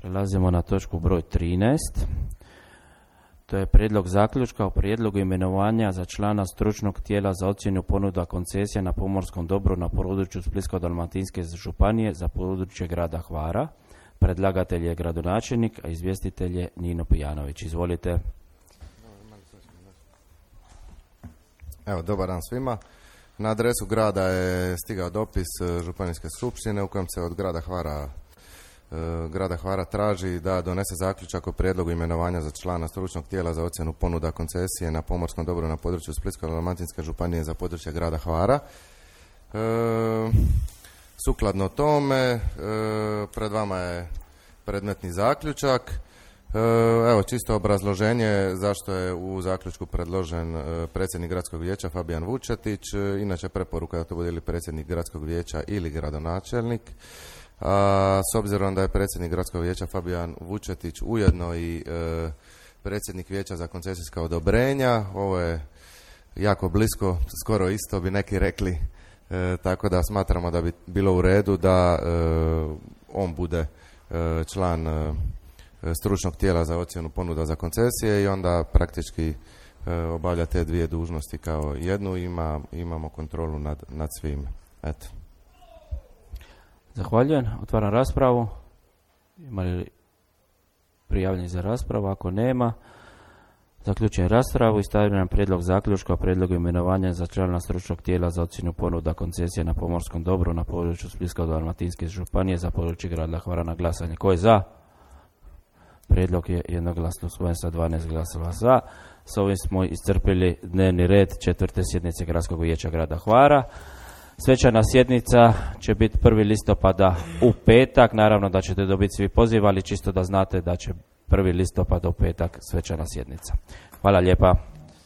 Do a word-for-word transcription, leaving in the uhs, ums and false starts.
Prelazimo na točku broj trinaest. To je prijedlog zaključka o prijedlogu imenovanja za člana stručnog tijela za ocjenu ponuda koncesija na pomorskom dobru na području Splitsko-dalmatinske županije za područje grada Hvara. Predlagatelj je gradonačelnik, a izvjestitelj je Nino Pijanović. Izvolite. Evo, dobar dan svima. Na adresu grada je stigao dopis Županijske skupštine u kojem se od grada Hvara grada Hvara traži da donese zaključak o prijedlogu imenovanja za člana stručnog tijela za ocjenu ponuda koncesije na pomorskom dobru na području Splitsko-dalmatinske županije za područje grada Hvara. E, sukladno tome, e, pred vama je predmetni zaključak. E, evo, čisto obrazloženje zašto je u zaključku predložen e, predsjednik gradskog vijeća Fabijan Vučetić. E, inače preporuka da to bude ili predsjednik gradskog vijeća ili gradonačelnik. A, s obzirom da je predsjednik gradskog vijeća Fabijan Vučetić ujedno i e, predsjednik vijeća za koncesijska odobrenja, ovo je jako blisko, skoro isto bi neki rekli, e, tako da smatramo da bi bilo u redu da e, on bude e, član e, stručnog tijela za ocjenu ponuda za koncesije i onda praktički e, obavlja te dvije dužnosti kao jednu, ima, imamo kontrolu nad, nad svim. Eto. Zahvaljujem. Otvaram raspravu. Ima li prijavljeni za raspravu? Ako nema, zaključujem raspravu i stavljam prijedlog zaključka o prijedlogu imenovanja za člana stručnog tijela za ocjenu ponuda koncesije na pomorskom dobru na području Splitsko-dalmatinske županije za područje grada Hvara na glasanje. Ko je za? Prijedlog je jednoglasno usvojen sa dvanaest glasova za. S ovim smo iscrpili dnevni red četvrte sjednice Gradskog vijeća grada Hvara. Svečana sjednica će biti prvi listopada u petak. Naravno da ćete dobiti svi poziv, ali čisto da znate da će prvi listopada u petak svečana sjednica. Hvala lijepa.